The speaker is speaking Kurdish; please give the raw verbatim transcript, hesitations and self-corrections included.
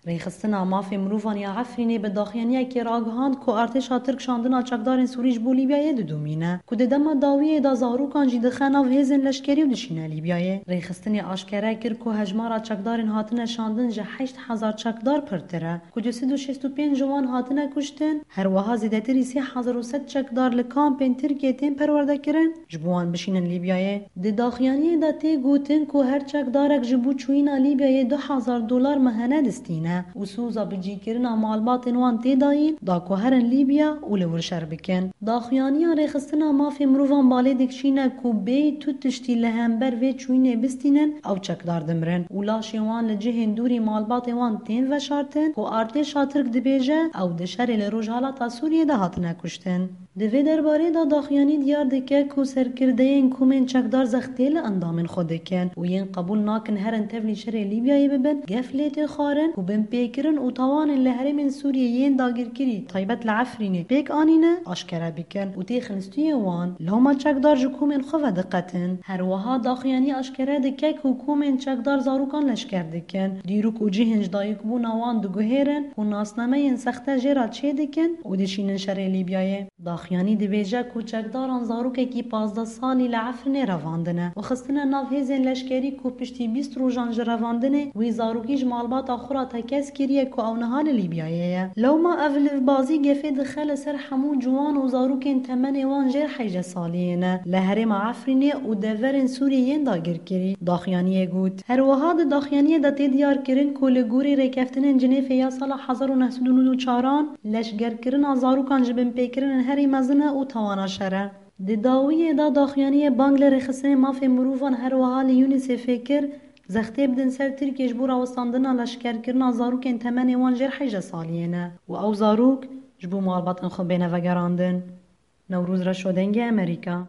Rêxistina Mafê Mirovan ya Efrînê bi daxuyaniyekê ragihand ku artêşa Tirk şandina çekdarên Sûrî ji bo Lîbyayê didomîne, ku di dema dawiyê de zarokan jî dixe nav hêzên leşkerî û dişîne Lîbyayê. Rêxistinê aşkere kir ku hejmara çekdarên hatine şandin ji heşt hezar çekdar pirtir e, ku du sed û şêst û pênc ji wan hatine kuştin, her wiha zêdetirî sê hezar û sed çekdar li kampên Tirkiyê tên perwerdekirin, ji bo wan bişînin Lîbyayê. Di daxuyaniyê de tê gotin ku her çekdarek ji bo çûyîna Lîbyayê du hezar dolar mehene distîne û sûza bicîkirina malbatên wan tê dayîn da ku herin Lîbya û li wir şer bikin. Daxuyaniya Rêxistina Mafê Mirovan balê dikişîne ku bêyî tu tiştî li hember vê çûyînê bistînin, ew çekdar dimirin û laşên wan li cihên dûrî malbatê wan tên veşartin ku artêşa Tirk dibêje ew di şerê li Rojhilata Sûriyê de hatine kuştin. Di vê derbarê de daxuyanî diyar dike ku serkirdeyên komên çekdar zextê li endamên xwe dikin û yên qebûl nakin herin tevlî şerê Lîbyayê bibin, gef lê tê xwarin ku binpêkirin û tawanên li herêmên Sûriyê yên dagirkirî, taybet li Efrînê pêk anîne, aşkere bikin û têxin stûyê wan. Loma çekdar ji komên xwe vediqetin. Her wiha daxuyanî aşkere dike ku komên çekdar zarokan leşker dikin, dîrok û cihên ji dayikbûna wan diguhêrin û nasnameyên sexte jê re çêdikin û dişînin şerê Lîbyayê. Daxuyanî dibêje ku çekdaran zarokekî pazdeh salî li Efrînê revandine û xistine nav hêzên leşkerî ku piştî bîst rojan ji revandinê wî zarokî ji malbata xwe re tekez kiriye ku ew niha li Lîbyayê ye. Lewma ev livbazî gefê dixe li ser hemû ciwan û zarokên temenê wan jêr heyja saliyê ne li herêma Efrînê û deverên Sûriyê yên dagirkirî, daxuyaniyê got. Her wiha di daxuyaniyê de tê diyar kirin ku li gorî rêkeftinên Cinêfê ya sala hezar û neh sed û nod û çaran, leşgerkirina zarokan ji binpêkirinên herî mezin e û tawana şer e. Di dawiyê de daxuyaniyê bang li rêxistinên mafê mirovan her wiha li UNICEFê kir, zextê bidin ser Tirkiyê ji bo rawestandina leşkerkirina zarokên temenê wan jêr heyja saliyê ne û ew zarok ji bo malbatên xwe bêne vegerandin. Newroz Reşo, Dengê Amerîka.